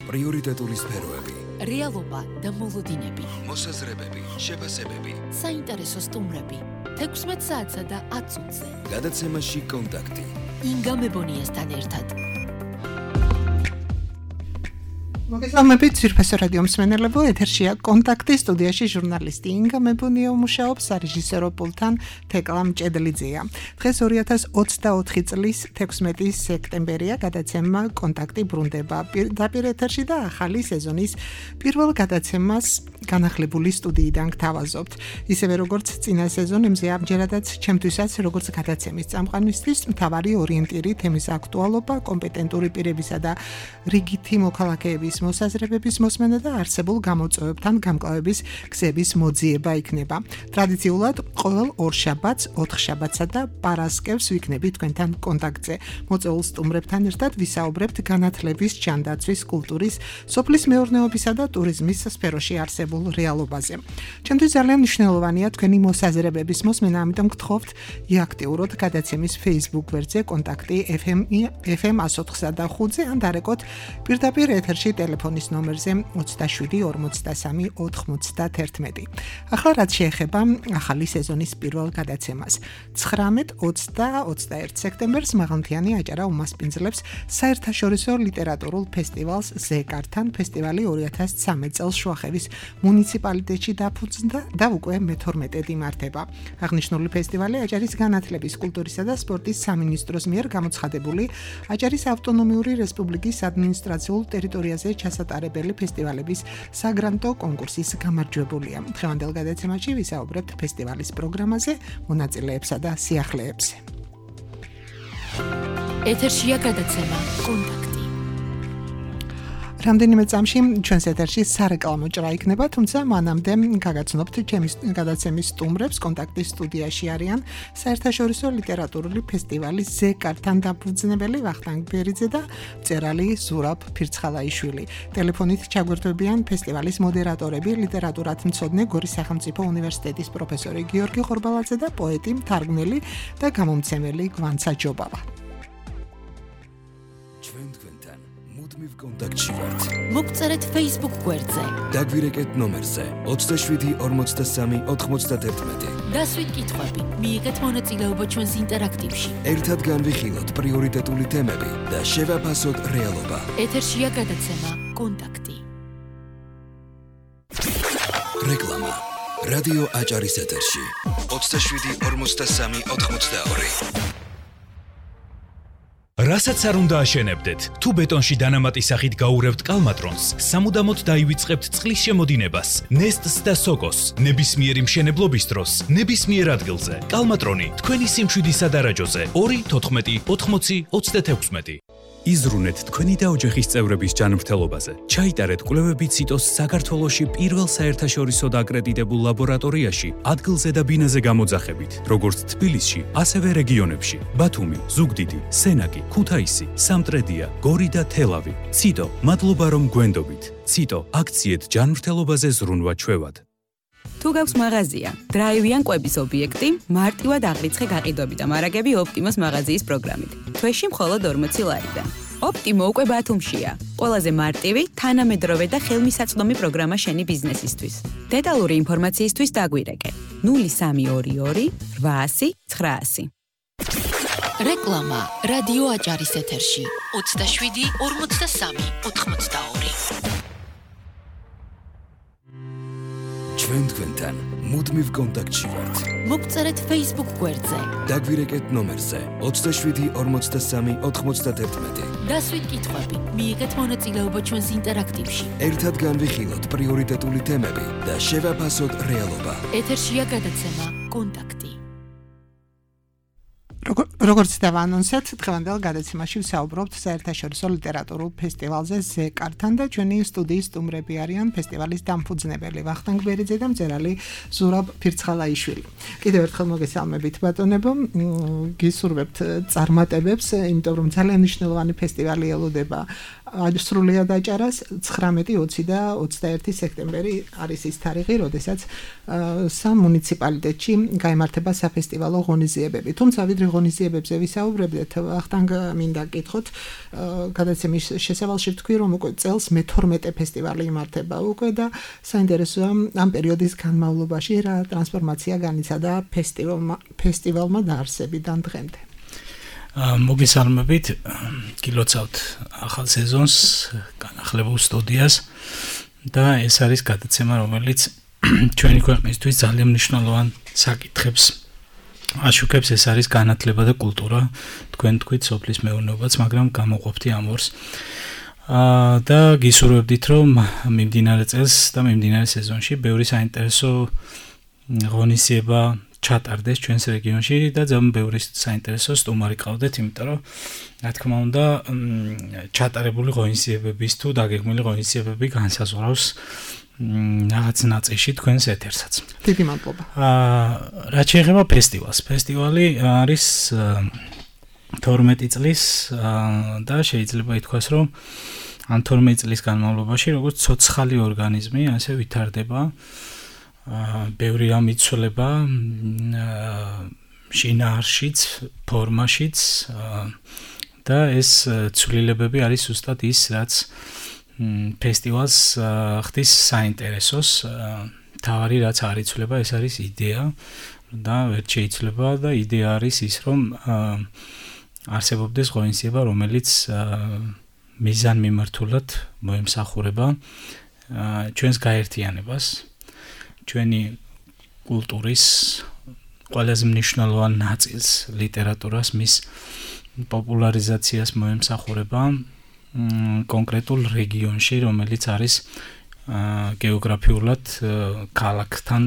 პრიორიტეტული სფეროები, რეალობა და მოლოდინები, მოსაზრებები, შეფასებები, საინტერესო სტუმრები, 16 საათსა და 10 წუთზე. გადაცემაში კონტაქტი. ინგა მებონიასთან ერთად. მოგესალმებით, ძვირფასო რადიო მსმენელებო, ეთერშია კონტაქტი, სტუდიაში ჟურნალისტი ინგა მებონია მუშაობს, სარეჟისორო პულტთან თეკლა მჭედლიძეა. დღეს 2024 წლის 16 სექტემბერია, გადაცემა კონტაქტი ბრუნდება პირდაპირ ეთერში და ახალი სეზონის პირველ გადაცემას განახლებული სტუდიიდან გთავაზობთ. ისევე როგორც წინა სეზონებზე, ამჯერადაც ჩემთვისაც როგორც გადაცემის წამყვანისთვის მთავარი ორიენტირი თემის აქტუალობა, კომპეტენტური პირებისა და რიგითი მოქალაქეების მოსაზრებების მოსმენა და არსებულ გამოწვევებთან გამკლავების გზების მოძიება იქნება. ტრადიციულად ყოველ ორშაბათს, ოთხშაბათსა და პარასკევს ვიქნებით თქვენთან კონტაქტზე. მოწვეულ სტუმრებთან ერთად ვისაუბრებთ განათლების, ჯანდაცვის, კულტურის, სოფლის მეურნეობისა და ტურიზმის სფეროში არსებულ რეალობაზე. ჩემთვის ძალიან მნიშვნელოვანია თქვენი მოსაზრებების მოსმენა, ამიტომ გთხოვთ იაქტიუროთ გადაცემის Facebook გვერდზე კონტაქტი FM 104.5-ზე ან დარეკოთ პირდაპირ ეთერში ტელეფონის ნომერზე 27 43 91. ახლა რაც შეეხება ახალი სეზონის პირველ გადაცემას. 19, 20 და 21 სექტემბერს მაღალმთიანი აჭარა უმასპინძლებს საერთაშორისო ლიტერატურულ ფესტივალს ზეკართან. ფესტივალი 2013 წელს შუახევის მუნიციპალიტეტში დაფუძნდა და უკვე მე-12 იმართება. აღნიშნული ფესტივალი აჭარის განათლების, კულტურისა და სპორტის სამინისტროს მიერ გამოცხადებული აჭარის ავტონომიური რესპუბლიკის ადმინისტრაციულ ტერიტორიაზე ჩასატარებელი ფესტივალების საგრანტო კონკურსის გამარჯვებულია. დღევანდელ გადაცემაში ვისაუბრებთ ფესტივალის პროგრამაზე, მონაწილეებსა და სიახლეებზე. ეთერშია გადაცემა კონტაქტი. რამდენიმე წამში ჩვენს ეთერში სარეკლამო ჭრა იქნება, თუმცა მანამდე გაგაცნობთ ჩემის გადაცემის სტუმრებს. კონტაქტის სტუდიაში არიან საერთაშორისო ლიტერატურული ფესტივალის ზეკართან დაფუძნებელი ვახტანგ ბერიძე და მწერალი ზურაბ ფირცხალაიშვილი. ტელეფონით ჩაგვერთვებიან ფესტივალის მოდერატორები, ლიტერატურათმცოდნე, გორის სახელმწიფო უნივერსიტეტის პროფესორი გიორგი ხორბალაძე და პოეტი, მთარგმნელი და გამომცემელი გვანცა ჯობავა. მუდმივ კონტაქტში ვართ. მოგწერეთ Facebook გვერდზე. დაგვირეკეთ ნომერზე 27 43 91. დასვით კითხვები, მიიღეთ მონაწილეობა ჩვენს ინტერაქტივში. ერთად განვიხილოთ პრიორიტეტული თემები და შევაფასოთ რეალობა. ეთერშია გადაცემა კონტაქტი. რეკლამა. რადიო აჭარის ეთერში 27 43 92. რასაც არ უნდა აშენებდეთ, თუ ბეტონში დანამატი სახით გაურევთ კალმატრონს, სამუდამოდ დაივიწყებთ წყლის შემოდინებას, ნესტს და სოკოს, ნებისმიერი მშენებლობის დროს, ნებისმიერ ადგილზე. კალმატრონი თქვენი სიმშვიდისა დარაჯოზე 2 14 80 36. იზრუნეთ თქვენი და ოჯახის წევრების ჯანმრთელობაზე. ჩაიტარეთ კვლევები ციტოს საქართველოში პირველ საერთაშორისო დაკრედიტებულ ლაბორატორიაში, ადგილზე და ბინაზე გამოძახებით, როგორც თბილისში, ასევე რეგიონებში: ბათუმი, ზუგდიდი, სენაკი, ქუთაისი, სამტრედია, გორი და თელავი. ციტო, მადლობა რომ გვენდობით. ციტო, აქციეთ ჯანმრთელობაზე ზრუნვა ჩვევად. თუ გაქვს მაღაზია, დრაივიან კვების ობიექტი, მარტივად აღრიცხე გაყიდვები და მარაგები ოპტიმოს მაღაზიის პროგრამით. თვეში მხოლოდ 40 ლარიდან. ოპტიმო უკვე ბათუმშია. ყველაზე მარტივი, თანამედროვე და ხელმისაწვდომი პროგრამა შენი ბიზნესისთვის. დეტალური ინფორმაციისთვის დაგვირეკე 0322 800 900. რეკლამა რადიო აჭარის ეთერში 27 43 82. ჩვენ თქვენთან მუდმივ კონტაქტში ვართ. მოგწერეთ Facebook გვერდზე. დაგვირეკეთ ნომერზე 27 43 91. დასვით კითხვები, მიიღეთ მონაწილეობა ჩვენს ინტერაქტივში. ერთად განვიხილოთ პრიორიტეტული თემები და შევაფასოთ რეალობა. ეთერშია გადაცემა კონტაქტი. როგორც დავანონსეთ, დღევანდელ გადაცემაში ვსაუბრობთ საერთაშორისო ლიტერატურულ ფესტივალზე ზეკართან და ჩვენი სტუდიის სტუმრები არიან ფესტივალის დამფუძნებელი ვახტანგ ბერიძე და მწერალი ზურაბ ფირცხალაიშვილი. კიდევ ერთხელ მოგესალმებით ბატონებო, გისურვებთ წარმატებებს, იმიტომ რომ ძალიან მნიშვნელოვანი ფესტივალი ელოდება სრულიად აჭარას. 19, 20 და 21 სექტემბერი არის ის თარიღი, როდესაც სამ მუნიციპალიტეტში გაიმართება საფესტივალო ღონისძიებები. თუმცა ვიდრე ღონისძიებები ღონისძიებებზე ვისაუბრებდეთ, ახტანგ მინდა გითხოთ, გადაცემის შესავალში თქვი, რომ უკვე წელს მე-12 ფესტივალი იმართება უკვე და საინტერესოა ამ პერიოდის განმავლობაში რა ტრანსფორმაცია განიცადა ფესტივალმა დაარსებიდან დღემდე. მოგესალმებით, გილოცავთ ახალ სეზონს, განახლებულ სტუდიას და ეს არის გადაცემა, რომელიც ჩვენი ქვეყნისთვის ძალიან მნიშვნელოვან საკითხებს აშუქებს, ეს არის განათლება და კულტურა, თქვენ თქვით სოფლის მეურნეობაც, მაგრამ გამოყოფთ ამ ორს. და გისურვებდით, რომ მიმდინარე წელს და მიმდინარე სეზონში ბევრი საინტერესო ღონისძიება ჩატარდეს ჩვენს რეგიონში და ძალიან ბევრი საინტერესო სტუმარი ყავდეთ, იმიტომ რომ რა თქმა უნდა ჩატარებული ღონისძიებების თუ დაგეგმილი ღონისძიებები განსაზღვრავს რაღაც ნაწილში თქვენს ეთერსაც. დიდი მადლობა. რაც შეეხება ფესტივალს. ფესტივალი არის 12 წლის და შეიძლება ითქვას, რომ ამ 12 წლის განმავლობაში როგორც ცოცხალი ორგანიზმი, ასე ვითარდება. ბევრი რამ იცვლება შინაარშიც, ფორმაშიც და ეს ცვლილებები არის ზუსტად ის, რაც ფესტივალს ხდის საინტერესოს. თავარი რაც არ იცვლება, ეს არის იდეა და ვერ შეიძლება და იდეა არის ის, რომ არსებობდეს ღონისძიება, რომელიც მიზანმიმართულად მოემსახურება ჩვენს გაერთიანებას, ჩვენი კულტურის ყველაზე მნიშვნელოვან ნაწილს, ლიტერატურას, მის პოპულარიზაციას მოემსახურება კონკრეტულ რეგიონში, რომელიც არის გეოგრაფიულად ქალაქთან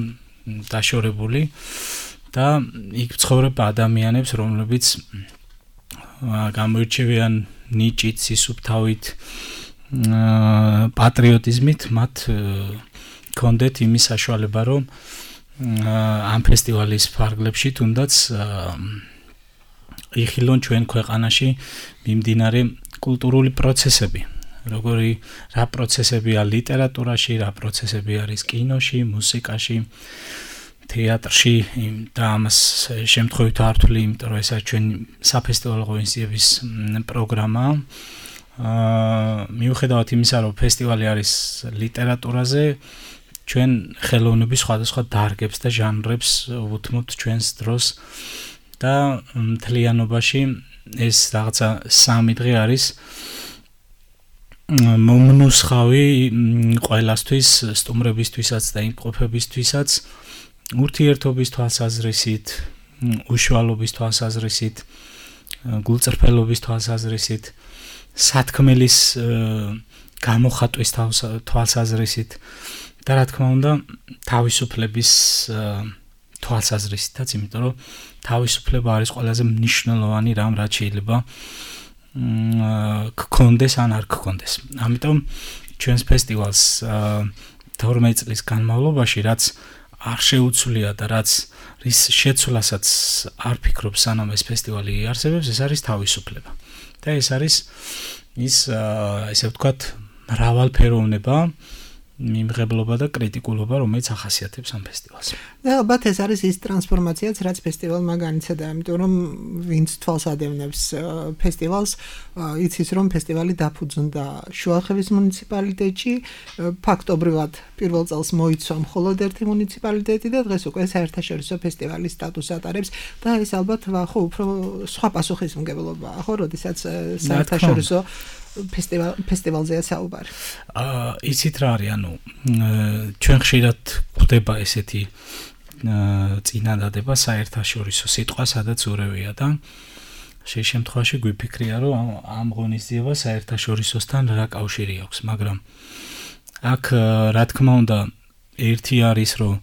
დაშორებული და იქ ცხოვრებ ადამიანებს, რომლებიც გამოირჩევიან ნიჭით, სისუფთავით, პატრიოტიზმით, მათ კონდეთ იმის საშუალება, რომ ამ ფესტივალის ფარგლებში თუნდაც იხილონ ჩვენ ქვეყანაში მიმდინარე კულტურული პროცესები. რა პროცესებია ლიტერატურაში, რა პროცესები არის კინოში, მუსიკაში, თეატრში და ამას შემთხვევით არ ვთვლი, იმიტომ რომ ეს არის ჩვენი საფესტივალო ღონისძიების პროგრამა. მიუხედავად იმისა, რომ ფესტივალი არის ლიტერატურაზე, ჩვენ ხელოვნების სხვადასხვა დარგებს და ჟანრებს უთმობთ ჩვენს დროს და მთლიანობაში ეს რაღაცა 3 დღე არის მომნუსხავი ყველასთვის, სტუმრებისთვისაც და იმყოფებისთვისაც, ურთიერთობის თვალსაზრისით, უშუალობის თვალსაზრისით, გულწრფელობის თვალსაზრისით, სათქმელის გამოხატვის თვალსაზრისით და რა თქმა უნდა თავისუფლების თვალსაზრისითაც, იმიტომ რომ თავისუფლება არის ყველაზე მნიშვნელოვანი რამ, რაც შეიძლება გქონდეს ან არ გქონდეს. ამიტომ ჩვენს ფესტივალს 12 წლის განმავლობაში, რაც არ შეუცვლია და რაც რის შეცვლასაც არ ფიქრობ, სანამ ეს ფესტივალი იარსებებს, ეს არის თავისუფლება. და ეს არის ის, ესე ვთქვათ, მრავალფეროვნება, მიმღებლობა და კრიტიკულობა, რომელიც ახასიათებს ამ ფესტივალს. და ალბათ ეს არის ის ტრანსფორმაციაც, რაც ფესტივალმა განიცადა, იმიტომ რომ ვინც თვალს ადევნებს ფესტივალს, იცის რომ ფესტივალი დაფუძნდა შუახევის მუნიციპალიტეტში, ფაქტობრივად პირველ წელს მოიცვა მხოლოდ ერთი მუნიციპალიტეტი და დღეს უკვე საერთაშორისო ფესტივალის სტატუსს ატარებს და ეს ალბათ ხო უფრო სხვა პასუხისმგებლობაა, ხო, როდესაც საერთაშორისო ფესტივალზეა საუბარი. იცით რა არის, ანუ ჩვენ ხშირად გვხვდება ესეთი წინადადება საერთაშორისო სიტყვა, სადაც ურევია და შე შემთხვევაში გვიფიქრია, რომ ამ ღონისძიებას საერთაშორისოსთან რა კავშირი აქვს, მაგრამ აქ რა თქმა უნდა ერთი არის, რომ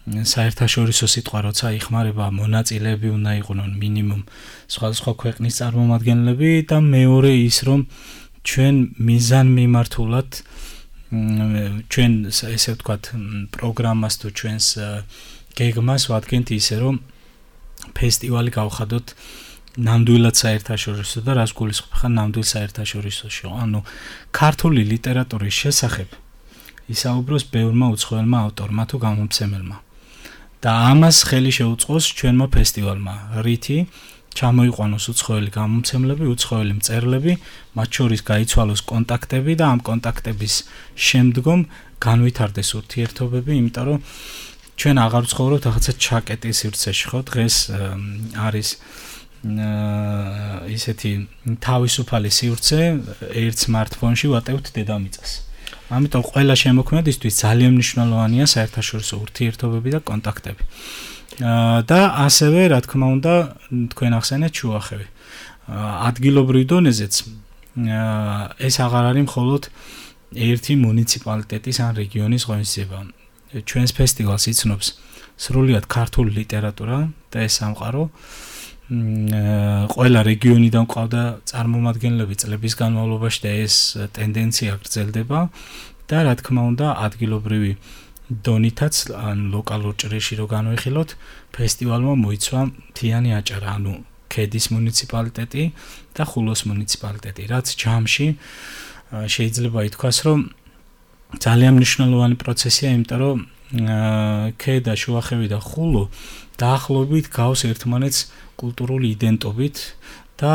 საერთაშორისო სიტყვა როცა იხმარება, მონაწილეები უნდა იყვნენ მინიმუმ სხვადასხვა ქვეყნის წარმომადგენლები და მეორე ის, რომ ჩვენ მიზანმიმართულად ჩვენ ესე ვთქვათ პროგრამას თუ ჩვენს გეგმას ვადგენთ ისე, რომ ფესტივალი გავხადოთ ნამდვილად საერთაშორისო და რას გულისხმობ ნამდვილ საერთაშორისოში. ანუ ქართული ლიტერატურის შესახებ ისაუბროს ბევრმა უცხოელმა ავტორმა თუ გამომცემელმა. და ამას ხელი შეუწყოს ჩვენმა ფესტივალმა, რითი ჩამოიყვანოს უცხოელი გამომცემლები, უცხოელი მწერლები, მათ შორის გაიცვალოს კონტაქტები და ამ კონტაქტების შემდგომ განვითარდეს ურთიერთობები, იმიტომ რომ ჩვენ აღარ ვცხოვრობთ რაღაცა ჩაკეტის სივრცეში, ხო? დღეს არის ისეთი თავისუფალი სივრცე, ერთ smartphone-ში ვატევთ დედამიწას. ამიტომ ყველა შემოქმედისთვის ძალიან მნიშვნელოვანია საერთაშორისო ურთიერთობები და კონტაქტები. და ასევე, რა თქმა უნდა, თქვენ ახსენეთ შუახევი. ადგილობრივ დონეზეც ეს აღარ არის მხოლოდ ერთი მუნიციპალიტეტის ან რეგიონის ღონისძიება. ჩვენს ფესტივალს იცნობს სრულიად ქართული ლიტერატურა და ეს სამყარო. ყველა რეგიონიდან ყავდა წარმომადგენლები წლების განმავლობაში და ეს ტენდენცია გრძელდება და რა თქმა უნდა ადგილობრივი დონითაც ან ლოკალურ ჭრიში რო განვიხილოთ ფესტივალმა მოიცვა მთიანი აჭარა, ანუ ქედის მუნიციპალიტეტი და ხულოს მუნიციპალიტეტი, რაც ჯამში შეიძლება ითქვას, რომ ძალიან მნიშვნელოვანი პროცესია, იმიტომ რომ ქედა, შუახევი და ხულო დაახლოებით გავს ერთმანეთს კულტურული იდენტობით და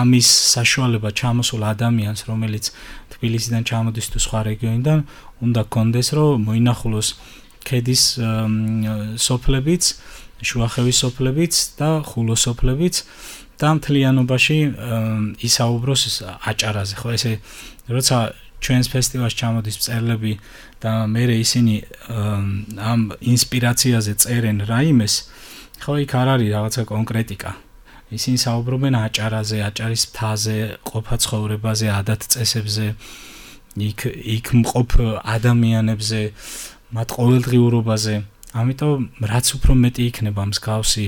ამის საშუალება ჩამოსულ ადამიანს, რომელიც თბილისიდან ჩამოდის თუ სხვა რეგიონიდან, უნდა კონდეს, რომ მოინახულოს ქედის სოფლებიც, შუახევის სოფლებიც და ხულოს სოფლებიც და მთლიანობაში ისაუბროს აჭარაზე, ხო, ესე როცა ჩვენს ფესტივალში ჩამოდის მწერლები და მერე ისინი ამ ინსპირაციაზე წერენ რაიმეს, ხო, იქ არ არის რაღაცა კონკრეტიკა. ისინი საუბრობენ აჭარაზე, აჭარის მთაზე, ყოფა ცხოვრებაზე, ადათ-წესებზე, იქ მყოფ ადამიანებზე, მათ ყოველდღიურობაზე. ამიტომ რაც უფრო მეტი იქნება მსგავსი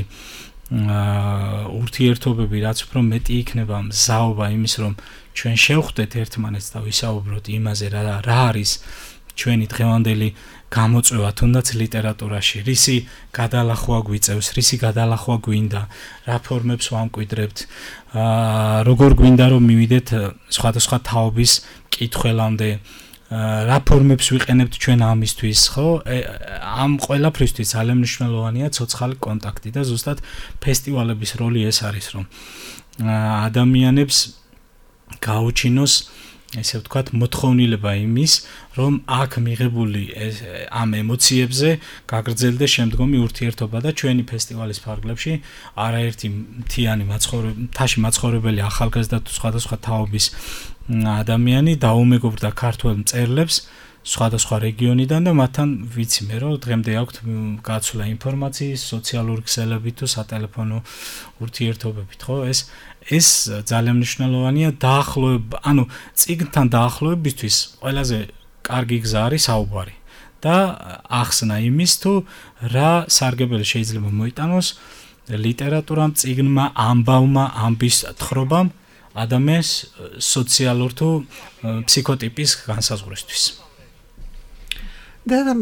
ურთიერთობები, რაც უფრო მეტი იქნება მზაობა იმის, რომ ჩვენ შევხვდეთ ერთმანეთს და ვისაუბროთ იმაზე, რა არის ჩვენი დღევანდელი გამოწვევა, თუნდაც ლიტერატურაში, რისი გადალახვა გვიწევს, რისი გადალახვა გვინდა, რა ფორმებს ვამკვიდრებთ, როგორ გვინდა რომ მივიდეთ სხვადასხვა თაობის კითხველამდე, რა ფორმებს ვიყენებთ ჩვენ ამისთვის, ხო? ამ ყველაფრისთვის ძალიან მნიშვნელოვანია ცოცხალი კონტაქტი და ზუსტად ფესტივალების როლი ეს არის, რომ ადამიანებს გაუჩინოს ესე ვთქვათ მოთხოვნილება იმის, რომ აქ მიღებული ამ ემოციებზე გაგრძელდეს შემდგომი ურთიერთობა და ჩვენი ფესტივალის ფარგლებში არაერთი მთაში მაცხოვრებელი ახალგაზრდა თუ სხვადასხვა თაობის ადამიანი დაუმეგობრდა ქართველ მწერლებს სხვადასხვა რეგიონიდან და მათთან ვიცი მე რომ დღემდე აქვთ გაცვლა ინფორმაციის, სოციალური ქსელებით თუ სატელეფონო ურთიერთობებით, ხო? ეს ძალიან მნიშვნელოვანია დაახლოება, ანუ წიგნთან დაახლოებისთვის ყველაზე კარგი გზა არის საუბარი და ახსნა იმის თუ რა სარგებელი შეიძლება მოიტანოს ლიტერატურამ, წიგნმა, ამბავმა, ამბის თხრობამ ადამიანის სოციალურ თუ ფსიქოტიპის განსაზღვრისთვის. და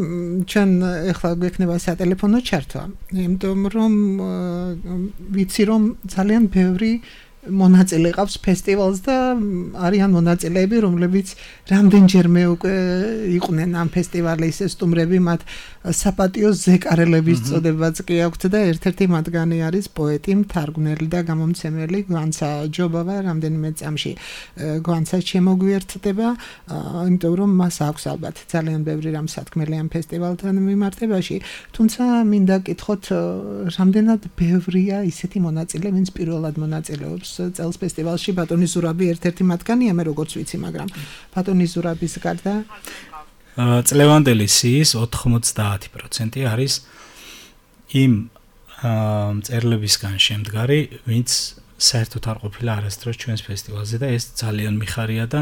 ჩვენ ახლა გვექნება სატელეფონო ჩართვა, იმიტომ რომ ვიცი რომ ძალიან ბევრი მონაწილე ყავს ფესტივალს და არიან მონაწილეები, რომლებიც რამდენჯერმე უკვე იყვნენ ამ ფესტივალის სტუმრები, მათ საპატიო ზეკარელების წოდებაც კი აქვთ და ერთ-ერთი მათგანი არის პოეტი, მთარგმნელი და გამომცემელი გვანცა ჯობავა, რამდენიმე წამში გვანცა შემოგვიერთდება, იმიტომ რომ მას აქვს ალბათ ძალიან ბევრი რამ სათქმელი ამ ფესტივალთან მიმართებაში, თუმცა მინდა გკითხოთ, რამდენად ბევრია ისეთი მონაწილე, ვინც პირველად მონაწილეობს წელს ფესტივალში, ბატონი ზურაბი ერთ-ერთი მათგანია, მე როგორც ვიცი, მაგრამ ბატონი ზურაბის გარდა წლევანდელი სიის 90% არის იმ მწერლებისგან შემდგარი, ვინც საერთოდ არ ყოფილა არასდროს ჩვენს ფესტივალზე და ეს ძალიან მიხარია და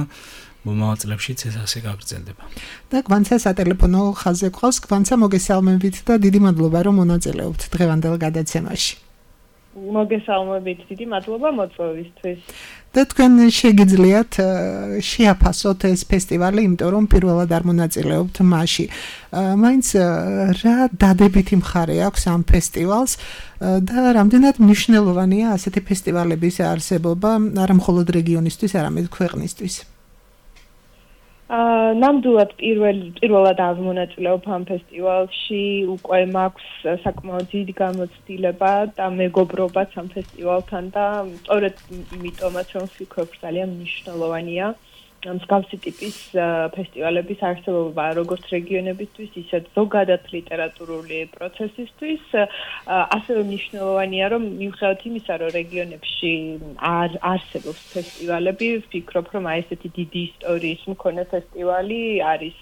მომავალ წლებშიც ეს ასე გაგრძელდება. და გვანცა სატელეფონო ხაზზე გვყავს, გვანცა მოგესალმებით და დიდი მადლობა რომ მონაწილეობთ დღევანდელ გადაცემაში. მოგესალმებით, დიდი მადლობა მოწვევისთვის. და თქვენ შეგიძლიათ შეაფასოთ ეს ფესტივალი, იმიტომ რომ პირველად არ მონაწილეობთ მასში. მაინც რა დადებითი მხარე აქვს ამ ფესტივალს და რამდენად მნიშვნელოვანია ასეთი ფესტივალების არსებობა არა მხოლოდ რეგიონისთვის, არამედ ქვეყნისთვის. ნამდვილად პირველად ავმონაწილეობ ამ ფესტივალში, უკვე მაქვს საკმაოდ დიდი გამოცდილება და მეგობრობაც ამ ფესტივალთან და სწორედ იმიტომაც რომ ვფიქრობ ძალიან მნიშვნელოვანია მსგავსი ტიპის ფესტივალების არსებობა როგორც რეგიონებისთვის, ისე ზოგადად ლიტერატურული პროცესისთვის, ასევე მნიშვნელოვანია რომ მიუხედავად იმისა, რომ რეგიონებში არ არსებობს ფესტივალები, ვფიქრობ რომ აი ესეთი დიდი ისტორიის მქონე ფესტივალი არის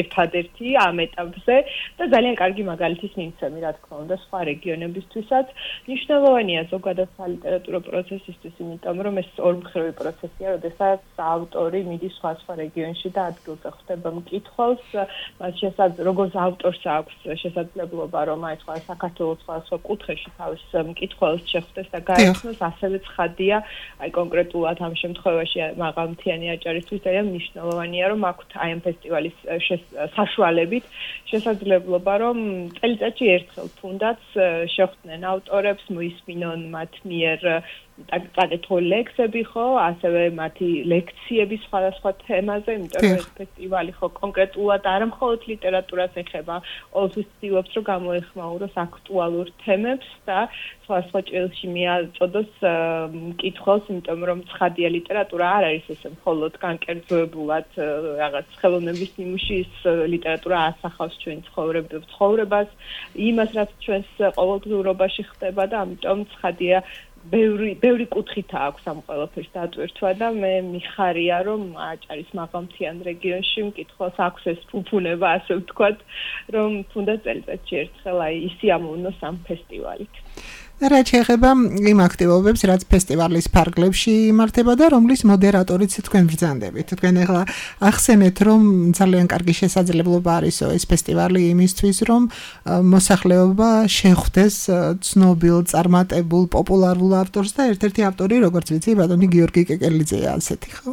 ერთადერთი ამ ეტაპზე და ძალიან კარგი მაგალითის მიმცემი, რა თქმა უნდა, სხვა რეგიონებისთვისაც. მნიშვნელოვანია ზოგადად სალიტერატურო პროცესისთვის, იმიტომ რომ ეს ორმხრივი პროცესია, როდესაც ავტორი მიდის სხვა რეგიონში და ადგილზე ხვდება მკითხველს, როგორც ავტორს აქვს შესაძლებლობა რომ აი სხვა საქართველოს სხვა კუთხეში თავის მკითხველს შეხვდეს და გაეცნოს, ასევე ცხადია აი კონკრეტულად ამ შემთხვევაში მაღალმთიანი აჭარისთვის ძალიან მნიშვნელოვანია რომ აქვთ აი ამ ფესტივალის საშუალებით შესაძლებლობა რომ წელიწადში ერთხელ თუნდაც შეხვდნენ ავტორებს, მოისმინონ მათ მიერ წაკითხული ლექსები ხო, ასევე მათი ლექციები სხვადასხვა თემაზე, იმიტომ რომ ეს ფესტივალი ხო კონკრეტულად არა მხოლოდ ლიტერატურას ეხება, ყოველთვის ცდილობს რომ გამოეხმაუროს აქტუალურ თემებს და სხვა ჭრილში მიაწოდოს მკითხველს, იმიტომ რომ ცხადია ლიტერატურა არ არის ესე მხოლოდ განკერძოებულად რაღაც ხელოვნების ნიმუში, ის ლიტერატურა ასახავს ჩვენ ცხოვრებას, იმას რაც ჩვენს ყოველდღიურობაში ხდება და ამიტომ ცხადია ბევრი კუთხით აქვს ამ ყველაფერს დატვირთვა და მე მიხარია რომ აჭარის მაღალმთიან რეგიონში მკითხველს აქვს ეს ფუფუნება, ასე ვთქვათ, რომ თუნდაც წელიწადში ერთხელ აი ისი ამოვნოს ამ ფესტივალით. რაც შეეხება იმ აქტივობებს, რაც ფესტივალის ფარგლებში იმართება და რომლის მოდერატორიც თქვენ ბრძანდებით. თქვენ ახლა ახსენეთ, რომ ძალიან კარგი შესაძლებლობა არისო ეს ფესტივალი იმისთვის, რომ მოსახლეობა შეხვდეს ცნობილ, წარმატებულ, პოპულარულ ავტორს და ერთ-ერთი ავტორი, როგორც ვიცი, ბატონი გიორგი კეკელიძეა, ასეთი ხო?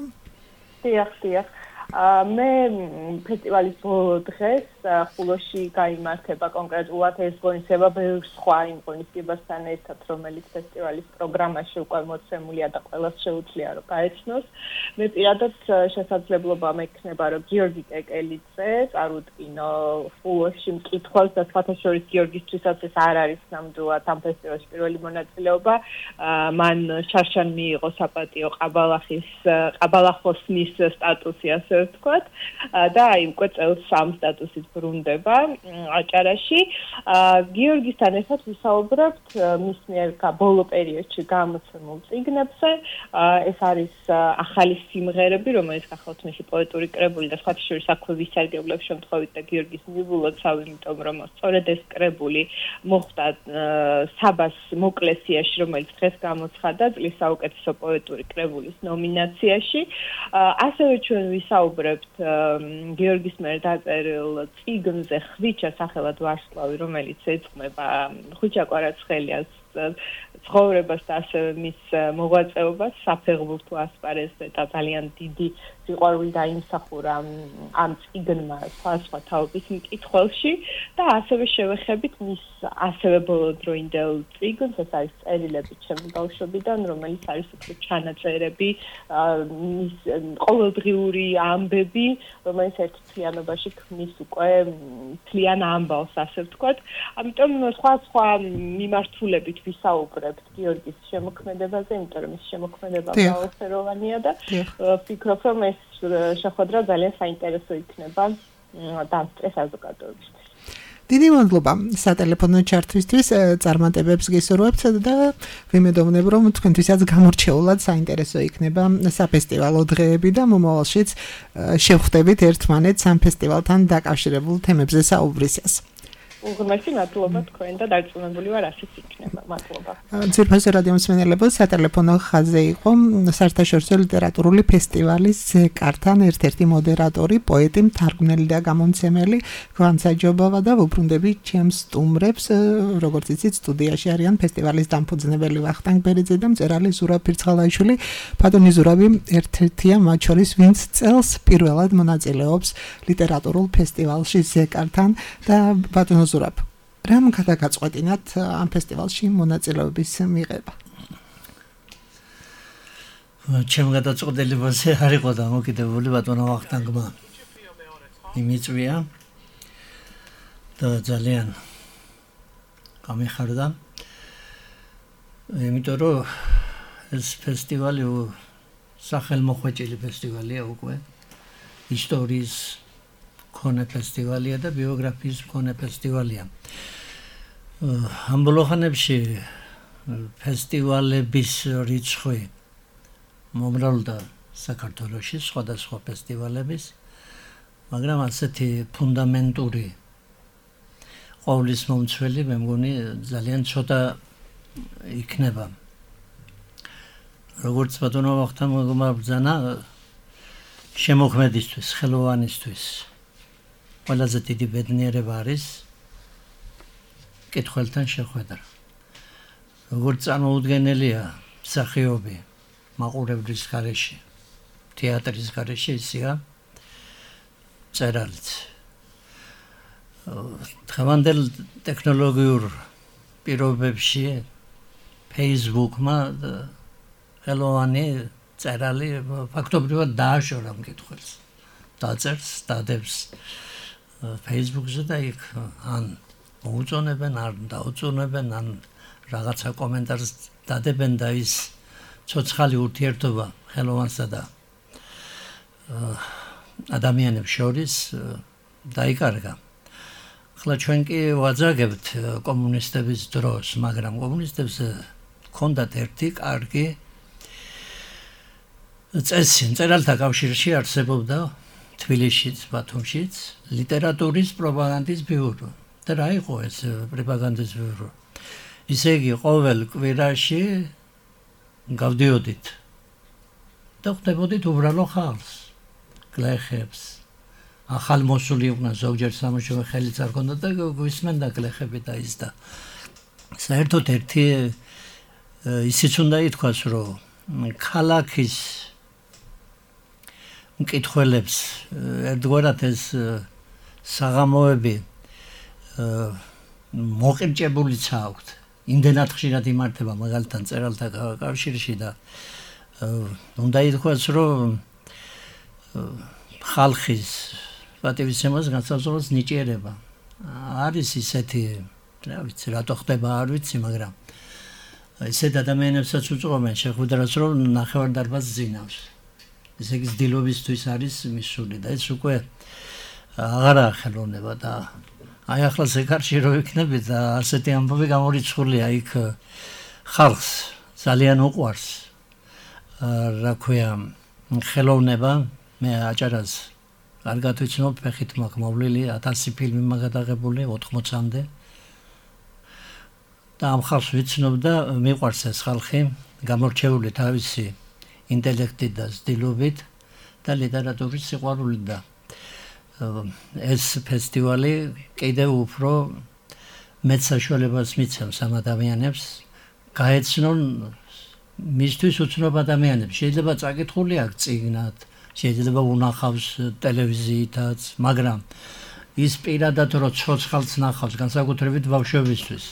დიახ. მე ფესტივალის ბოლო დღეს ხულოში გაიმართება კონკრეტულად ეს ღონისება ბევრ სხვა იმ ღონისძიებასთან ერთად, რომელიც ფესტივალის პროგრამაში უკვე მოცემულია და ყველას შეუძლია რომ გაეცნოს. მე პირადად შესაძლებლობა მექნება რომ გიორგი კეკელიძე წარუდგინო ხულოში მკითხველს და სხვათა შორის გიორგისთვისაც ეს არ არის ნამდვილად ამ ფესტივალის პირველი მონაწილეობა. მან შარშან მიიღო საპატიო ყაბალახოსნის სტატუსი, ასე ვთქვათ, და აი უკვე წელს ამ სტატუსით ბრუნდება აჭარაში. გიორგისთან ერთად ვისაუბრებთ მის მიერ ბოლო პერიოდში გამოცემულ წიგნებზე. ეს არის ახალი სიმღერები, რომელიც გახლავთ მისი პოეტური კრებული და სხვათა შორის აქვე ვისარგებლებ შემთხვევით და გიორგის მიბულოცავ, იმიტომ რომ სწორედ ეს კრებული მოხვდა საბას მოკლესიაში, რომელიც დღეს გამოცხადა წლის საუკეთესო პოეტური კრებულის ნომინაციაში. ასევე ჩვენ ვისაუბრებთ გიორგის მიერ დაწერილ წიგნზე ხვიჩა სახელად ვარსკვლავი, რომელიც ეძღვნება ხვიჩა კვარაცხელიას ცხოვრებას და ასევე მის მოღვაწეობას საფეხბურთო ასპარეზზე და ძალიან დიდი სიყვარული დაიმსახურა ამ წიგნმა სხვა თაობის მკითხველში და ასევე შევეხებით მის ასევე ბოლოდროინდელ წიგნს, ეს არის წერილები ჩემი ბავშვობიდან, რომელიც არის უფრო ჩანაწერები, მის ყოველდღიური ამბები, რომელიც ერთ მთლიანობაში ქმნის უკვე მთლიან ამბავს, ასე ვთქვათ. ამიტომ სხვა მიმართულებით ვისაუბრებთ გიორგის შემოქმედებაზე, იმიტომ რომ ის შემოქმედება მრავალფეროვანია და ვფიქრობ, რომ ეს შეხვედრა ძალიან საინტერესო იქნება დამსწრე საზოგადოებისთვის. დიდი მადლობა სატელეფონო ჩართვისთვის, წარმატებებს გისურვებთ და ვიმედოვნებ, რომ თქვენთვისაც გამორჩეულად საინტერესო იქნება საფესტივალო დღეები და მომავალშიც შევხვდებით ერთმანეთს ამ ფესტივალთან დაკავშირებულ თემებზე საუბრისას. უღრმესი მადლობა თქვენ და დარწმუნებული ვარ ასეც იქნება. მადლობა. ძვირფასო რადიო მსმენელებო, სატელეფონო ხაზზე იყო საერთაშორისო ლიტერატურული ფესტივალის ზეკართან ერთ-ერთი მოდერატორი, პოეტი, მთარგმნელი და გამომცემელი გვანცაჯობავა და ვუბრუნდები ჩემს სტუმრებს, როგორც იცით, სტუდიაში არიან ფესტივალის დამფუძნებელი ვახტანგ ბერიძე და მწერალი ზურაბ ფირცხალაიშვილი. ბატონი ზურაბი ერთ-ერთია მათ შორის, ვინც წელს პირველად მონაწილეობს ლიტერატურულ ფესტივალში ზეკართან და ბატონო ზურაბ, რამ გადაგაწყვეტინათ ამ ფესტივალში მონაწილეობის მიღება? ჩემ გადაწყვეტილებაზე არ იყო დამოკიდებული ბატონო ვახტანგმა იმიწვია და ძალიან გამიხარდა იმიტომ რომ ეს ფესტივალი სახელმოხვეჭილი ფესტივალია უკვე ისტორიის მქონე ფესტივალია და ბიოგრაფიის მქონე ფესტივალია ამ ბოლო ხანებში ფესტივალების რიცხვი მომრავლდა საქართველოში სხვადასხვა ფესტივალების მაგრამ ასეთი ფუნდამენტური ყოვლის მომცველი მე მგონი ძალიან ცოტა იქნება როგორც ბატონო ვახტანგმა ბრძანა შემოქმედისთვის ხელოვანისთვის ყველაზე დიდი ბედნიერება არის კითხველთან შეხვედრა როგორც წარმოუდგენელია მსახიობი მაყურებლის გარეშე თეატრის გარეშე ისეა წერალიც დღევანდელ ტექნოლოგიურ პირობებში Facebook-მა ხელოვანი წერალი ფაქტობრივად დააშორა მკითხველს დაწერს დადებს Facebook-ზე და იქ ან მოუწონებენ ან დაუწონებენ ან რაღაცა კომენტარს დადებენ და ის ცოცხალი ურთიერთობა ხელოვანსა და ადამიანებს შორის დაიკარგა. ახლა ჩვენ კი ვაძაგებთ კომუნისტების დროს, მაგრამ კომუნისტებს ჰქონდათ ერთი კარგი წესი, მწერალთა კავშირში არსებობდა თბილისშიც, ბათუმშიც ლიტერატურის პროპაგანდის ბიურო. და რა იყო ეს პროპაგანდის ბიურო? ისე იგი ყოველ კვირაში გავდიოდით და ხვდებოდით უბრალო ხალხს, გლეხებს, ახალმოსული იყვნენ ზოგჯერ სამუშაო ხელიც არ ქონდა და გვისმენდა გლეხები და ის და საერთოდ ერთი ისიც უნდა ითქვას, რომ ქალაქის მკითხველებს ერთგვარად ეს საღამოები მოყირჭებულიც აქვთ. იმდენად ხშირად იმართება მაგალითად წერალთა კავშირში და უნდა ითქვას, რომ ხალხის პატივისცემას განსაზღვრავს ნიჭიერება. არის ისეთი, რა ვიცი, რატო ხდება არ ვიცი, მაგრამ ისეთ ადამიანებსაც უწყობენ შეხვედრას, რომ ნახევარდარბაზს ძინავს. ესე იგი ძდილობისთვის არის მისული და ეს უკვე აღარაა ხელოვნება და აი ახლა ზეკარში რო იქნები და ასეთი ამბავი გამორიცხულია იქ ხალხს ძალიან უყვარს რა ქვია ხელოვნება მე აჭარას კარგად ვიცნობ ფეხით მაქვს მოვლილი 1000 ფილმი მაგადაღებული 80-მდე და ამ ხალხს ვიცნობ და მიყვარს ეს ხალხი გამორჩეული თავისი ინტელექტით და ზდილობით და ლიტერატურის სიყვარულით და ეს ფესტივალი კიდევ უფრო მეც საშუალებას მიცემს ამ ადამიანებს გაეცნონ მისთვის უცნობ ადამიანებს. შეიძლება წაკითხული აქვს წიგნად, შეიძლება უნახავს ტელევიზიითაც, მაგრამ ის პირადად რო ცოცხალს ნახავს, განსაკუთრებით ბავშვებისთვის.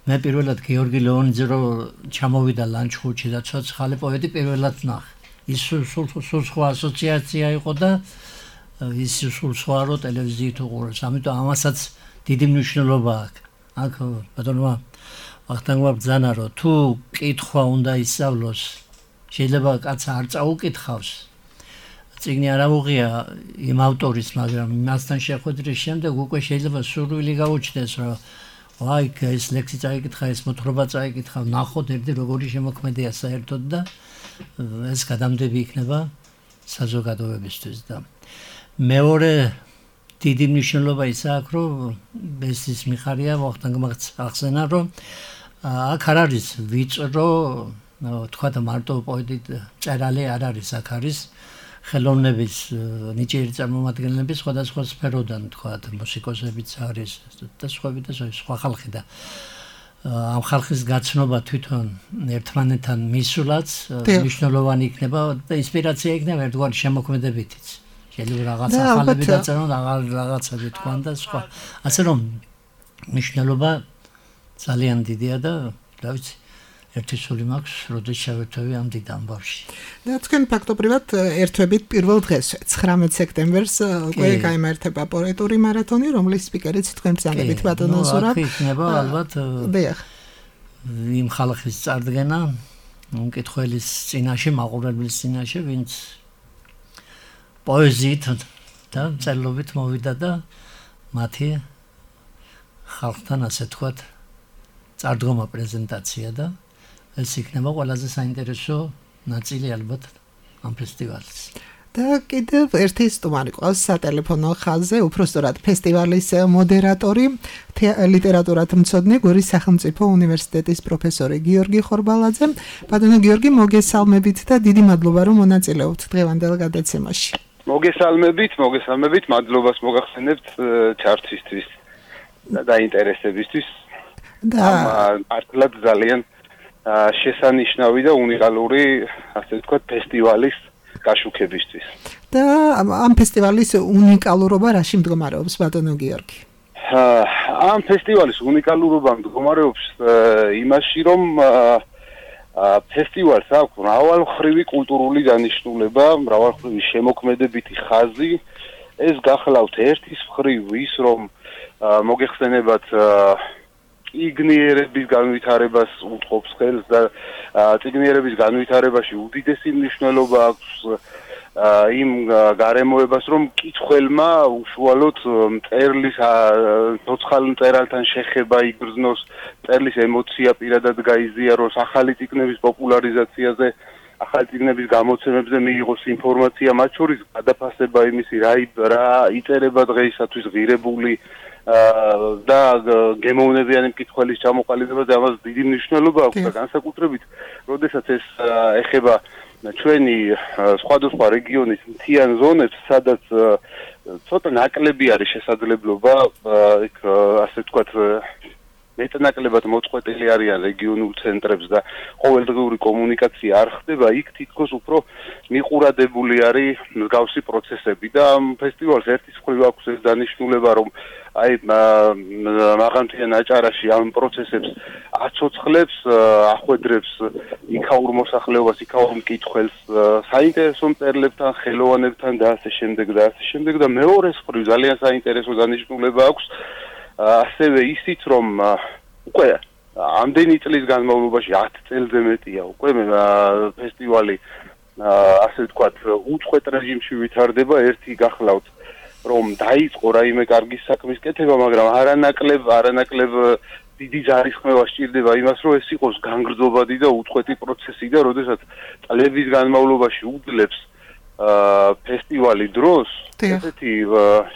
მე პირველად გიორგი ლეონიძე რო ჩამოვიდა ლანჩხუთში და ცოცხალი პოეტი პირველად ნახე. ის სულ სხვა ასოციაცია იყო და ის სულ სხვა რო ტელევიზიით უყურებს. ამიტომ ამასაც დიდი მნიშვნელობა აქვს. აქ ბატონმა ვახტანგმა ბრძანა რომ თუ კითხვა უნდა ისწავლოს, შეიძლება კაცს არ წაუკითხავს. წიგნი არ აუღია იმ ავტორის, მაგრამ მასთან შეხვედრის შემდეგ უკვე შეიძლება სურვილი გაუჩნდეს, რომ ვაი, ეს ლექსი წაიკითხა, ეს მოთხრობა წაიკითხა, ნახოთ ერთი როგორი შემოქმედია საერთოდ და ეს გადამდები იქნება საზოგადოებისთვის და მეორე დიდი მნიშვნელობა ის აქვს, რომ ეს მიხარია ვახტანგმა ახსენა, რომ აქ არ არის ვიწრო, თქვა და მარტო პოეტი წერალი არ არის, აქ არის ხელოვნების ნიჭიერი წარმომადგენლები სხვადასხვა სფეროდან, თქვა მუსიკოსებიც არის და სხვა ხალხი და ამ ხალხის გაცნობა თვითონ ერთმანეთთან მისულაც მნიშვნელოვანი იქნება და ინსპირაცია იქნება ერთგვარი შემოქმედებითიც. შეიძლება რაღაც ახალები დაწერონ, რაღაცები თქვან და სხვა. ასე რომ მნიშვნელობა ძალიან დიდია და რა ვიცი, ერთი სული მაქვს, როდის შევერთვები ამ დიდ ამბავში. და თქვენ ფაქტობრივად ერთვებით პირველ დღეს 19 სექტემბერს უკვე გაიმართება პოეტური მარათონი, რომლის სპიკერიც თქვენ ბრძანებით ბატონო ზურაბ. აქ იქნება ალბათ იმ ხალხის წარდგენა, მკითხველის წინაშე, მაყურებლის წინაშე, ვინც პოეზიით და წერილობით მოვიდა და მათი ხალხთან ასე თქვათ წარდგომა პრეზენტაცია და ეს იქნება ყველაზე საინტერესო ნაწილი ალბათ ამ ფესტივალის. და კიდევ ერთი სტუმარი ყავს სატელეფონო ხაზზე, უпростоრად ფესტივალის მოდერატორი, ლიტერატურათმცოდნე გორის სახელმწიფო უნივერსიტეტის პროფესორი გიორგი ხორბალაძე. ბატონო გიორგი, მოგესალმებით და დიდი მადლობა რომ მონაწილეობთ დღევანდელ გადაცემაში. მოგესალმებით, მადლობას მოგახსენებთ ჩართვისთვის და დაინტერესებისთვის. და მართლაც ძალიან შესანიშნავი და უნიკალური, ასე ვთქვათ, ფესტივალის გაშუქებისთვის. და ამ ფესტივალის უნიკალურობა რაში მდგომარეობს ბატონო გიორგი? ამ ფესტივალის უნიკალურობა მდგომარეობს იმაში, რომ ფესტივალს აქვს მრავალმხრივი კულტურული დანიშნულება, მრავალმხრივი შემოქმედებითი ხაზი. ეს გახლავთ ერთის მხრივ ის, რომ მოგეხსენებათ წიგნიერების განვითარებას უწყობს ხელს და წიგნიერების განვითარებაში უდიდესი მნიშვნელობა აქვს იმ გარემოებას, რომ მკითხველმა უშუალოდ მწერლის ცოცხალ მწერალთან შეხება იგრძნოს, მწერლის ემოცია პირადად გაიზიაროს, ახალი წიგნების პოპულარიზაციაზე, ახალი წიგნების გამოცემებზე მიიღოს ინფორმაცია, მათ შორის გადაფასება იმისი, რა იწერება დღეისათვის ღირებული და გემოვნებიანი მკითხველის ჩამოყალიბებაზე ამას დიდი მნიშვნელობა აქვს და განსაკუთრებით, როდესაც ეს ეხება ჩვენი სხვადასხვა რეგიონის მთიან ზონებს, სადაც ცოტა ნაკლები არის შესაძლებლობა, იქ ასე ვთქვათ, მეტნაკლებად მოწყვეტილი არიან რეგიონულ ცენტრებს და ყოველდღიური კომუნიკაცია არ ხდება, იქ თითქოს უფრო მიყურადებული არის მსგავსი პროცესები და ამ ფესტივალს ერთის მხრივ აქვს ეს დანიშნულება, რომ აი მაღალმთიან აჭარაში ამ პროცესებს აცოცხლებს, ახვედრებს იქაურ მოსახლეობას, იქაურ მკითხველს, საინტერესო მწერლებთან, ხელოვანებთან და ასე შემდეგ და მეორეს მხრივ ძალიან საინტერესო დანიშნულება აქვს ასევე ისიც, რომ უკვე ამდენი წლის განმავლობაში 10 წელზე მეტია უკვე ფესტივალი ასე ვთქვათ უწყვეტ რეჟიმში ვითარდება, ერთი გახლავთ რომ დაიწყო რაიმე კარგი საქმის კეთება, მაგრამ არანაკლებ დიდი ჯარისხმევა სჭირდება იმას, რომ ეს იყოს განგრძობადი და უწყვეტი პროცესი და როდესაც წლების განმავლობაში უძლებს ფესტივალი დროს, ესეთი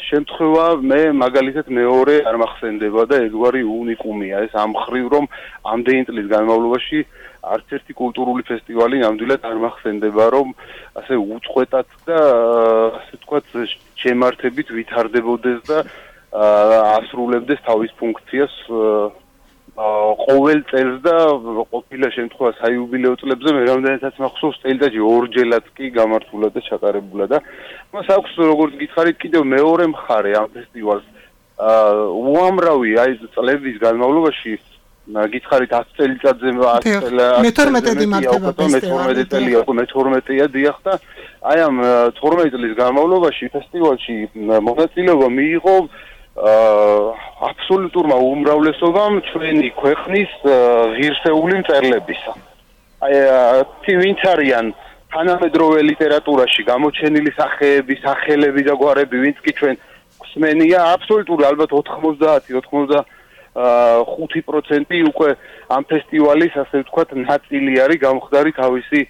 შემთხვევა მე მაგალითად მეორე არ მახსენდება და ერთგვარი უნიკუმია ეს ამ მხრივ, რომ ამდენი წლის განმავლობაში არც ერთი კულტურული ფესტივალი ნამდვილად არ მახსენდება, რომ ასე უწყვეტად და ასე ვთქვათ შემართებით ვითარდებოდეს და ასრულებდეს თავის ფუნქციას ყოველ წელს და ყოფილა შემთხვევა საიუბილეო წლებზე მე რამდენადაც მახსოვს წელიწადში ორჯერად კი გამართულა და ჩატარებულა და მას აქვს როგორც გითხარით კიდევ მეორე მხარე ამ ფესტივალს უამრავი აი წლების განმავლობაში გითხარით 10 წელიწადზე 10 წელია უკვე 12-ია დიახ და აი ამ 12 წლის განმავლობაში ფესტივალში მონაწილეობა მიიღო აბსოლუტურმა უმრავლესობამ ჩვენი ქვეყნის ღირსეული მწერლებისა. აი ვინც არიან თანამედროვე ლიტერატურაში გამოჩენილი სახეები, სახელები და გვარები, ვინც კი ჩვენ გვსმენია, აბსოლუტური ალბათ 90-95% უკვე ამ ფესტივალის ასე ვთქვათ ნაწილი არის გამხდარი თავისი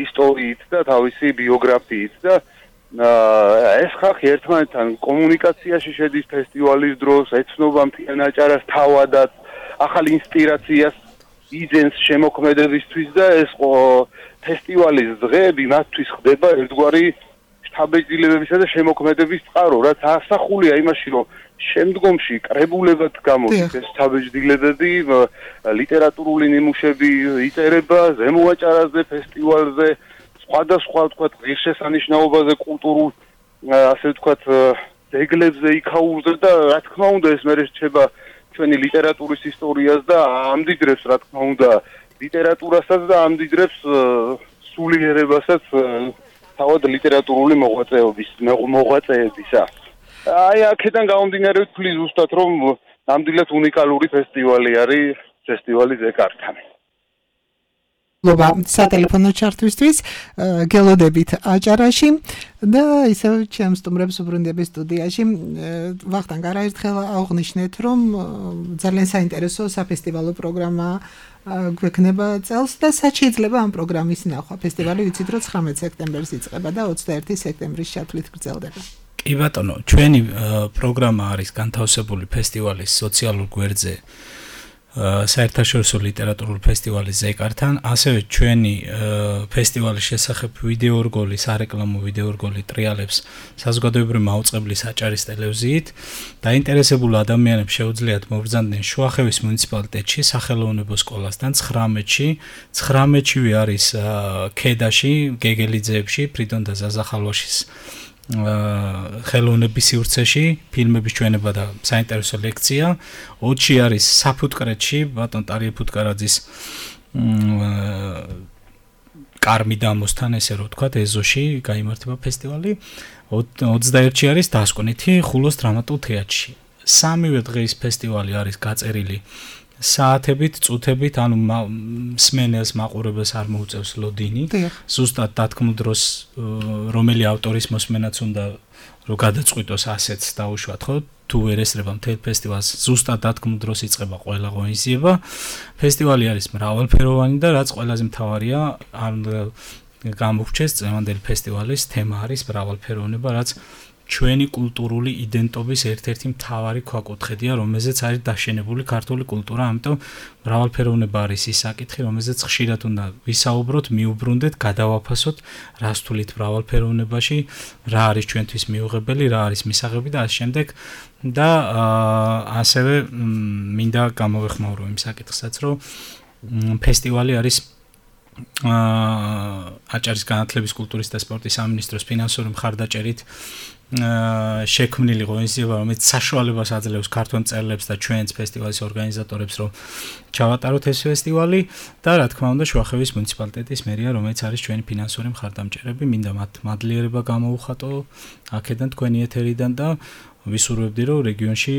ისტორიით და თავისი ბიოგრაფიით და ეს ხალხი ერთმანეთთან კომუნიკაციაში შედის ფესტივალის დროს, ეცნობა მთიან აჭარას თავადაც, ახალ ინსპირაციას იძენს შემოქმედებისთვის და ეს ფესტივალის დღეები მათთვის ხდება ერთგვარი შთაბეჭდილებებისა და შემოქმედების წყარო, რაც ასახულია იმაში, რომ შემდგომში კრებულებად გამოდის ეს შთაბეჭდილებები, ლიტერატურული ნიმუშები იწერება ზემო აჭარაზე, ფესტივალზე, სხვადასხვა ვთქვათ ღირსშესანიშნაობაზე, კულტურულ ასე ვთქვათ ძეგლებზე, იქაურზე და რა თქმა უნდა ეს მე რჩება ჩვენი ლიტერატურის ისტორიას და ამდიდრებს რა თქმა უნდა ლიტერატურასაც და ამდიდრებს სულიერებასაც თავად ლიტერატურული მოღვაწეებისა. აი აქედან გამომდინარე ვთვლი ზუსტად რომ ნამდვილად უნიკალური ფესტივალი არის ფესტივალი ზეკარტანი. ლობა სატელეფონო ჩართვისთვის გელოდებით აჭარაში და ისევ ჩემს სტუმრებს უბრუნდები სტუდიაში ვახტანგ არაერთხელ აღვნიშნეთ რომ ძალიან საინტერესო საფესტივალო პროგრამა გვექნება წელს და სად შეიძლება ამ პროგრამის ნახვა ფესტივალი ვიცით რომ 19 სექტემბერს იწყება და 21 სექტემბრის ჩათვლით გრძელდება. კი ბატონო, ჩვენი პროგრამა არის განთავსებული ფესტივალის სოციალურ გვერდზე საერთაშორისო ლიტერატურული ფესტივალი ზეკართან, ასევე ჩვენი ფესტივალის შესახებ ვიდეორგოლი, სარეკლამო ვიდეორგოლი ტრიალებს საზოგადოებრივი მაუწყებლის აჭარის ტელევიზიით. დაინტერესებულ ადამიანებს შეუძლიათ მობრძანდნენ შუახევის მუნიციპალიტეტში, სახელოვნებო სკოლასთან 19-ში არის ქედაში, გეგელიძეებში, ფრიდონ და ზაზა ხალვაშის ხელოვნების სივრცეში ფილმების ჩვენება და საინტერესო ლექცია 20-ში არის საფუტკრეთში ბატონ ტარიე ფუტკარაძის კარმი დამოსთან ესე რომ ვთქვათ ეზოში გაიმართება ფესტივალი 21-ში არის დასკვნითი ხულოს დრამატულ თეატრში სამივე დღის ფესტივალი არის გაწერილი საათებით, წუთებით, ანუ მსმენელს მაყურებელს არ მოუწევს ლოდინი. ზუსტად დათქმულ დროს რომელი ავტორის მოსმენაც უნდა რომ გადაწყვიტოს ასეც დაუშვათ, ხო? თუ ვერ ესრება მთელ ფესტივალს, ზუსტად დათქმულ დროს იწყება ყველა ღონისძიება. ფესტივალი არის მრავალფეროვანი და რაც ყველაზე მთავარია, არ გამოგვჩეს წლევანდელი ფესტივალის თემა არის მრავალფეროვნება, რაც ჩვენი კულტურული იდენტობის ერთ-ერთი მთავარი ქვაკუთხედია, რომელზეც არის დაშენებული ქართული კულტურა, ამიტომ მრავალფეროვნება არის ის საკითხი, რომელზეც ხშირად უნდა ვისაუბროთ, მიუბრუნდეთ, გადავაფასოთ, რას თulit მრავალფეროვნებაში, რა არის ჩვენთვის მიუღებელი, რა არის მისაღები და ასე შემდეგ და ასევე მინდა გამოვეხმაურო იმ საკითხსაც, რომ ფესტივალი არის აჭარის განათლების, კულტურის და სპორტის სამინისტროს ფინანსური მხარდაჭერით შექმნილი ღონისძიება, რომელიც საშუალებას აძლევს ქართველ მწერლებს და ჩვენს ფესტივალის ორგანიზატორებს, რომ ჩავატაროთ ეს ფესტივალი და რა თქმა უნდა შუახევის მუნიციპალიტეტის მერია, რომელიც არის ჩვენი ფინანსური მხარდამჭერები, მინდა მათ მადლიერება გამოვუხატო აქედან თქვენი ეთერიდან და ვისურვებდი, რომ რეგიონში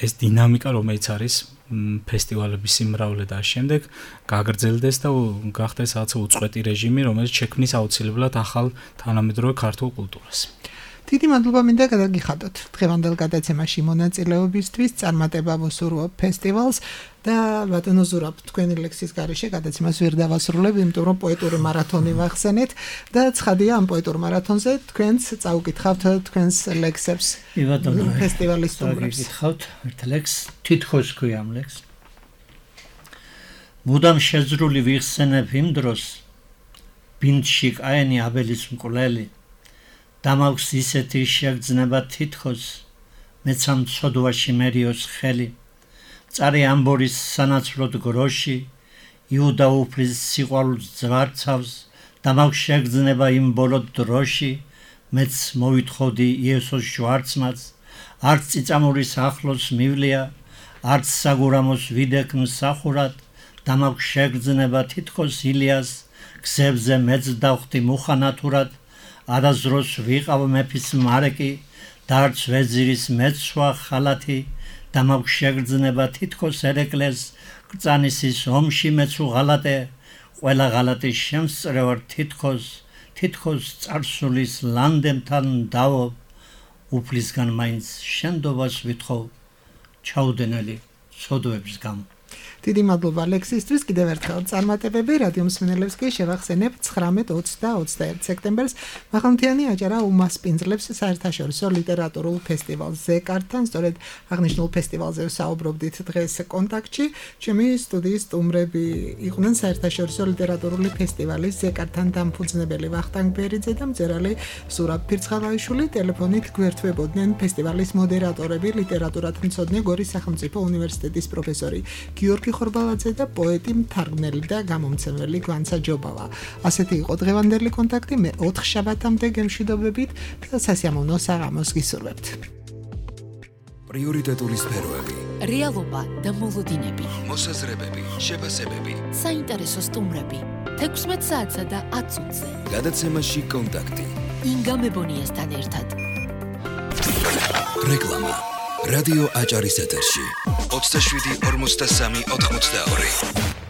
ეს დინამიკა, რომელიც არის ფესტივალების სიმრავლე და შემდეგ გაგრძელდეს და გახდეს რაღაც უწყვეტი რეჟიმი, რომელიც შექმნის აუცილებლად ახალ თანამედროვე ქართულ კულტურას. დიდი მადლობა მინდა გადაგიხადოთ დღევანდელ გადაცემაში მონაწილეობისთვის, წარმატება ვუსურვებ ფესტივალს და ბატონო ზურაბ, თქვენი ლექსის გარეშე გადაცემას ვერ დავასრულებ, იმიტომ რომ პოეტური მარათონი ვახსენეთ და ცხადია ამ პოეტურ მარათონზე თქვენს წაუკითხავთ თქვენს ლექსებს. ფესტივალის სტუმრებს. გითხავთ ერთ ლექსს, თითქოს ქვია ამ ლექსს. მუდამ შეზრული ვიხსენებ იმ დროს, ბინდში კაენი აბელის მკვლელი დამაქვს ისეთი შეგრძნება თითქოს მეცამ ცოდვაში მერიოს ხელი წარი ამბორის სანაცვლოდ გროში იუდა უფლის სიყვარულს ძვარცავს დამაქვს შეგრძნება იმ ბოლოდ დროში მეც მოვითხოვდი იესოს შვარცმაც არც წიწამურის ახლოს მივლია არც საგურამოს ვიდექ მსახურად დამაქვს შეგრძნება თითქოს ილიას გზებზე მეც დავხდი მუხანათურად არაზროს ვიყავ მეფის მარეკი და არც ვეზირის მეცვა ხალათი და მაქვს შეგრძნება თითქოს ერეკლეს კრწანისის ომში მეც უღალატე ყველა ღალატი შემსწრევარ თითქოს წარსულის ლანდემთან დავობ უფლისგან მაინც შენდობას ვითხოვ ჩაუდენელი ცოდვების გამო დიდი მადლობა ლექსისთვის, კიდევ ერთხელ წარმატებები რადიო მსმენელებს კი შევახსენებ 19, 20 და 21 სექტემბერს მაღალმთიანი აჭარა უმასპინძლებს საერთაშორისო ლიტერატურულ ფესტივალს ზეკარტთან, სწორედ აღნიშნულ ფესტივალზე საუბრობდით დღეს კონტაქტში. ჩემი სტუდიის სტუმრები იყვნენ საერთაშორისო ლიტერატურული ფესტივალის ზეკარტთან დამფუძნებელი ვახტანგ ბერიძე და მწერალი ზურაბ ფირცხალაიშვილი. ტელეფონით გვერდთვებოდნენ ფესტივალის მოდერატორები, ლიტერატურათმცოდნე გორის სახელმწიფო უნივერსიტეტის პროფესორი გიორგი ხორბალაძე და პოეტი, მთარგმნელი და გამომცემელი გვანცა ჯობავა. ასეთი იყო დღევანდელი კონტაქტი, მე 4 შაბათამდე გემშვიდობებით და სასიამოვნო საღამოს გისურვებთ. პრიორიტეტული სფეროები. რეალობა და მოლოდინები, მოსაზრებები, შეფასებები, საინტერესო სტუმრები. 16 საათსა და 10 წუთზე. გადაცემაში კონტაქტი. ინგა მებონიასთან ერთად. რეკლამა. რადიო აჭარის ეთერში. 27 43 82.